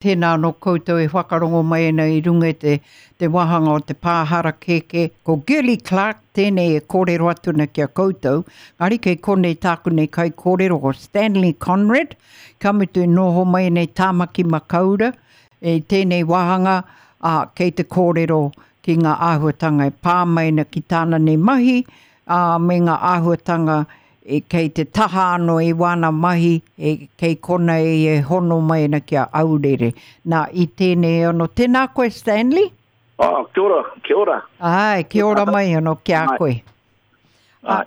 Tēnā anō koutou e whakarongo mai ana i runga i te, te wāhanga o te pā harakeke. Ko Girlie Clarke tēnei e kōrero atu ana ki a koutou. Engari kei konei tāku nei kaikōrero ko Stanley Conrad, ka mutu e noho mai nei Tāmaki Makaura i tēnei wāhanga, ā, kei te kōrero ki ngā āhuatanga e pā mai ana ki tāna nei mahi, ā, me ngā āhuatanga E kei te taha anō i wāna mahi, e kei konei e hono mai ana ki a Aurere. Nā, i tēnei anō, tēnā koe Stanley? Oh, kia ora, kia ora. Āe, kia ora mai anō ki a koe. Āe.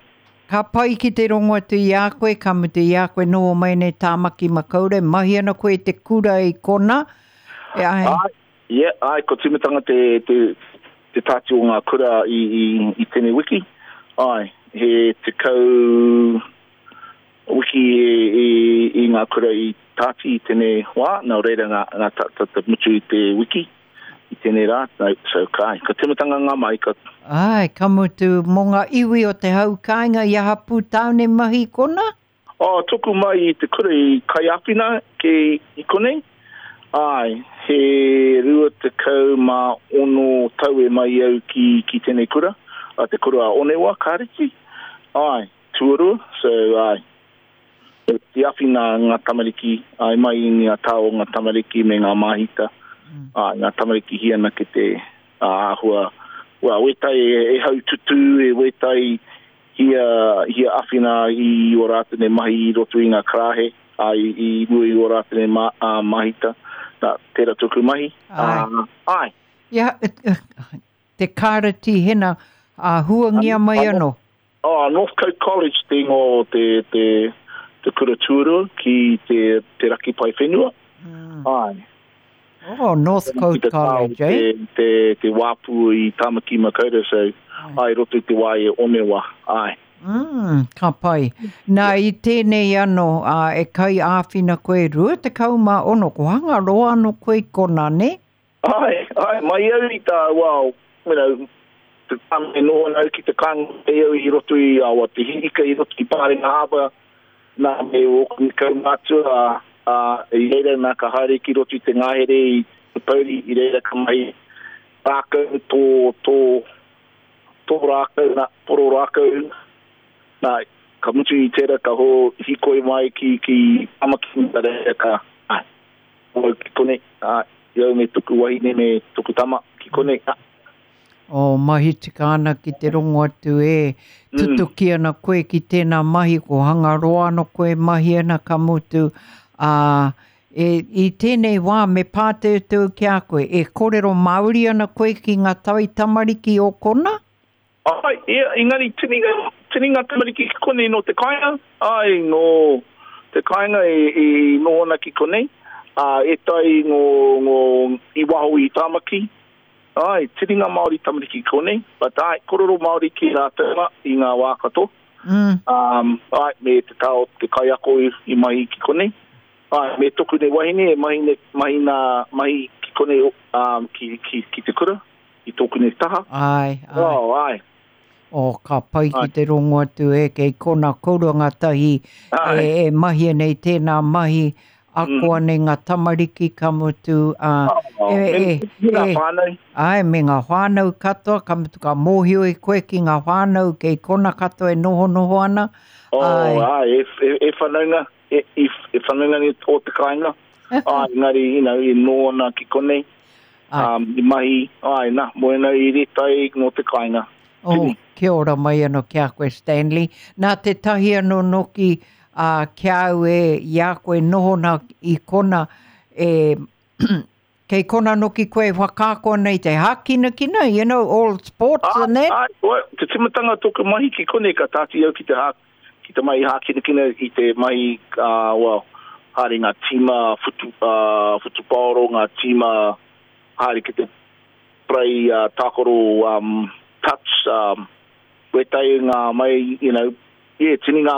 Ka pai ki te rongo atu i a koe, ka mutu i a koe noho mai nei Tāmaki Makaurau, mahi ana koe i te kura i kona. E, āe. Āe, yeah, āe, ko tīmatanga te, te, te tāti o ngā kura i, i, i tēnei wiki. Āe, he 10 wiki i, i, i ngā kura i tāti i tēnei wā, nā reira ngā, ngā ta, ta, ta mutu i te wiki, i tēnei rā, no, so ka, āe, ka tīmatanga ngā mahi ka... Āe, ka mutu mō ngā iwi o te hau kāinga i aha pū tāone mahi kona? Oh, toku mai i te kura i Kaiāwhina ki i konei. Āe, he 26 tau e mai au ki, ki tēnei kura, a te kura a Onewa, Kāreti. Āe, tuarua, so āe. Te awhina ngā tamariki, āe, mai i ngā tā o ngā tamariki me ngā māhita. Āe, ngā tamariki hi ana ki te āhua, well, wētai e, e haututū, e wētai Hia, hia awhina i o rātou nei mahi i roto i ngā karāhe, ā, i, i mua i o rātou nei ma, ā, mahita. Nā, tērā tōku mahi. Āe. Ā, āe. Ia, te kāreti hena, ā, huangia mai anō. Oh, Northcote College te ingoa o te, te, te kura tuarua ki te, te raki pae whenua. Mm. Āe. Oh, Northcote College, eh? Te, te, te wāpu i Tāmaki Makaurau, so, ai, roto i te wā e Onewa, ai. Mm, ka pai. Nā, i tēnei anō, ā, e kai āwhina koe 26, ko Hangaroa anō koe i kona, nē? Ai, ai, mai au i tā, well, you know, te time e noho ana au ki te kāinga mai au i roto i, awa, te hiika i roto i Pārenga Harbour, nā, me ōku kaumātua, ā, i reira nā ka haere ki roto i te ngahere i Te Pouri, i reira ka mahi rākau, tō, tō, tō rākau, nā, poro rākau, nā, ka mutu i tērā ka ho, hīkoi mai ki, ki Tamaki, nā reira ka, āe, au ki konei, āe, i au me toku wahine me toku tama ki konei, ā. Oh, mahi tika ana ki te rongo atu e tutuki ana koe ki tēnā mahi, ko Hangaroa ano koe mahi ana ka mutu, ā, e, i tēnei wā me pāteuteu ki a koe, e kōrero Māori ana koe ki ngā tai tamariki o kona? Āe, ia, engari tini ngā, tini ngā tamariki ki konei nō te kāinga, āe, nō te kāinga e, e noho ana ki konei, ā, ētahi ngō, ngō, i waho i Tāmaki, āe, tini ngā Māori tamariki ki konei, but āe, korero Māori ki rātou mā i ngā wā katoa. Mm. Um, āe, me te tā o te kaiako i, i mahi ki konei. Āe, me toku nei wahine e mahi nei, mahi nā, mahi ki konei, um, ki, ki, ki te kura. I tōku nei taha. Āe, āe. Oh, āe. Oh, ka pai ki te rongo atu e, kei kona kourua ngā tahi e, e mahia nei tēnā mahi, ako mm. nei ngā tamariki ka mutu, ā, oh, e, e, me ngā whānau. Āe, me ngā whānau katoa, ka mutu ka mōhio i koe ki ngā whānau kei kona katoa e nohonoho ana. Oh, āe, āe e, e, e whanaunga, e, e, e whanaunga ni o te kāinga. Āe, engari, you know, e noho ana ki konei. Um, i mahi, āe, na, mo ena i retai no te kāinga. Oh, Tini. kia ora mai anō ki a koe, Stanley. Nā tētahi anō noki uh, ki a au e, i a koe noho nā i kona, e, kei kona noki koe e whakaako ana i te hākinakina, you know, all sports ah, and that. Ai, well, te timatanga tōku mahi ki konei ka tāti au ki te hā, ki te mahi hākinakina i te mahi, uh, well, haere ngā tīma whutu, uh, whutupaoro, ngā tīma haere ki te play uh, tākaro um, touch, um, wētai ngā mai, you know, yeah, tini ngā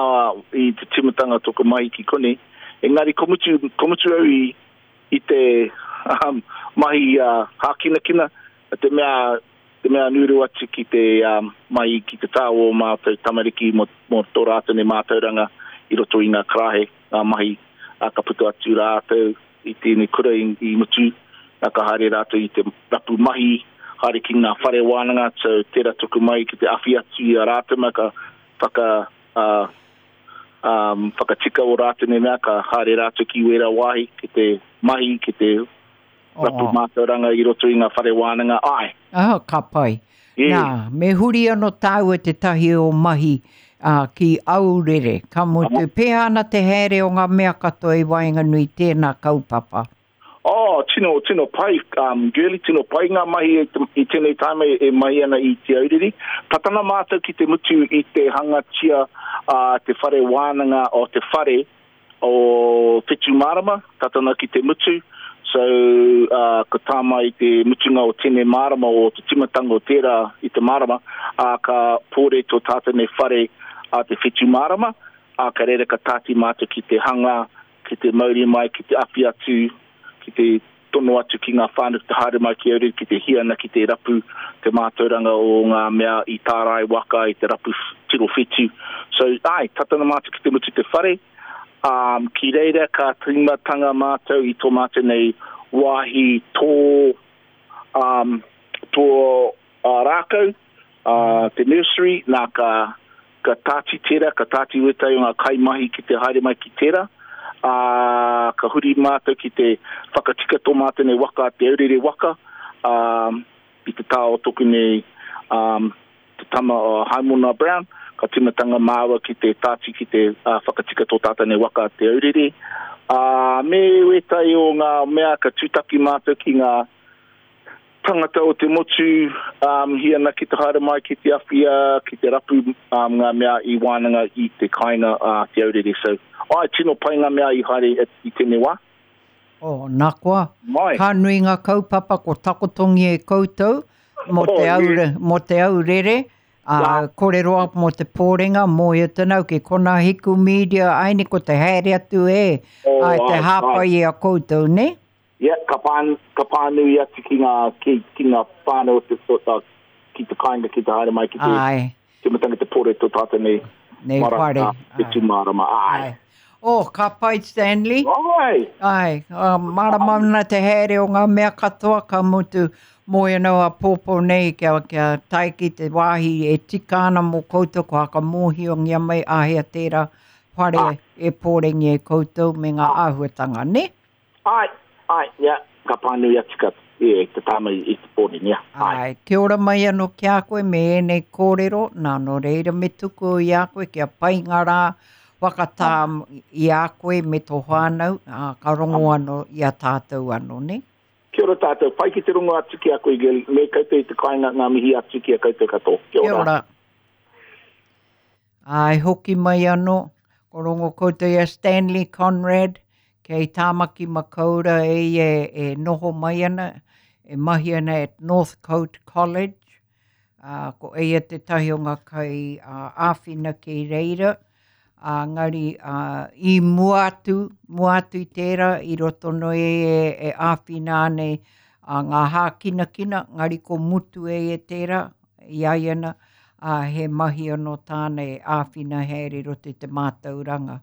i te tīmatanga tōku mahi ki konei. Engari ko mutu, ko mutu au i, i te um, mahi uh, hākinakina, te mea te mea nūru atu ki te um, mai ki te tā o mātou tamariki mō, mō tō rātou nei mātauranga i roto i ngā karahe, ngā mahi, ā, ka puta atu rātou. i tēnei kura i, i mutu, nā ka haere rātou i te rapu mahi, haere ki ngā whare wānanga, so tērā tuku mai ki te awhi atu i a rātou mā ka whaka, uh, um, whakatika o rātou nei mea, ka haere rātou ki wērā wāhi, ki te mahi, ki te rapu mātauranga i roto i ngā whare wānanga, āe. Ah, ka pai. Yeah. Nā, me huri anō tāua tētahi o mahi uh, ki Aurere. Ka mutu, pēhea ana te haere o ngā mea katoa i waenganui tēnā kaupapa? Oh, tino, tino pai, um, girly, tino pai ngā mahi i, te, i tēnei time e, e mahi ana i Te Aurere. Patana mātou ki te mutu i te hangatia uh, te whare wānanga o te whare, o Whetūmārama, tata ana ki te mutu, so uh, ka tā mai te mutunga o tēnei marama, o te timatanga o tērā i te marama, ā, ka pōre tō tātou nei whare a te Whetūmārama, ā, ka reira ka tāti mātou ki te hanga, ki te mauri mai, ki te awhi atu, ki te tono atu ki ngā whānau ki te haere mai ki Aurere, ki te hiana, ki te rapu te mātauranga o ngā mea i tārai waka, i te rapu tiro whetu. So, ai, tata ana mātou ki te mutu te whare, um, ki reira ka tīmatanga mātou i tō mātou nei wāhi tō, um, tō uh, rākau, uh, te nursery, nā ka, ka tāti tērā, ka tāti wētahi o ngā kaimahi ki te haere mai ki tērā, ā, ka huri mātou ki te whakatika tō mātou nei waka, te aurere waka, ā, i te tā o toku nei, ā, te tama o Haimona Brown, ka tīmatanga māua ki te tāti ki te uh, whakatika tō tātou nei waka te aurere. Ā, me wētahi o ngā mea ka tūtaki mātou ki ngā tangata o te motu um, hi ana ki te haere mai ki te awhia, ki te rapu um, ngā mea i wānanga i te kāinga a uh, Te Aurere. So, ai, tino pai ngā mea i haere i tēnei wā. Oh, nā koa, Mai. ka nui ngā kaupapa ko takotongia e koutou mō oh, te, aure, mō te aurere, a kore roa mō te pōrenga, mō ia tenau ki kona hiku media, aini ko te haere atu e, oh, ai, te hāpai i a koutou, ne? Yeah, ka pā, ka pānui atu ki ngā, ki, ki ngā whānau o te, o, ki te kāinga ki te haere mai ki te, Āe. tīmatanga te pore tō tātou nei, Nei mara, whare. ā, te tūmārama, āe. Āe. Oh, ka pai Stanley. Āe! Āe, uh, mārama ana te haere o ngā mea katoa, ka mutu moe anō a pōpō nei kia, kia tae ki te wāhi e tika ana mō koutou, ko whakamōhiongia mai āhea tērā whare e pōrengia e koutou me ngā āhuatanga, nē? Āe, āe, ia, ka pānui atu ka, e, te tāma i, i te pōni, ia, āe. Āe, kia ora mai anō ki a koe me ēnei kōrero, nā, nō reira me tuku i a koe kia pai ngā rā whakatā i a koe me tō whānau, ā, ka rongo anō i a tātou anō, nē? Kia ora tātou, pai ki te rongo atu ki a koe, Gilly, me koutou i te kāinga, ngā mihi atu ki a koutou katoa. Kia ora. Kia ora. Āe, hoki mai anō, ko rongo koutou i a Stanley Conrad, kei Tāmaki Makaura e ia e noho mai ana, e mahi ana at Northcote College, ā, ko eia tētahi o ngā kai āwhina kei reira, ā, engari, ā, i mua atu, mua atu i tērā, i roto noi e, e āwhina ana i ngā hākinakina, engari ko mutu e ia tērā, i a ia na, ā, he mahi anō tāna e āwhina haere i roto i te mātauranga.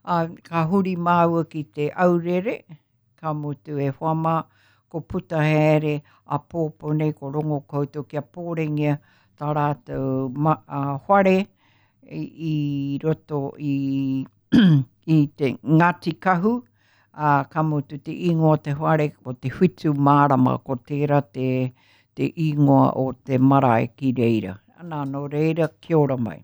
Ā, ka huri māua ki te aurere, ka mutu e hoa mā, ko puta haere a pōpō nei, ko rongo koutou kia pōrengia tā rātou ma, ā, whare i, i roto i, i te Ngāti Kahu, ā, ka mutu te ingoa o te whare ko Te Whitu Mārama, ko tērā te, te ingoa o te marae ki reira. Anā, nō reira, kia ora mai.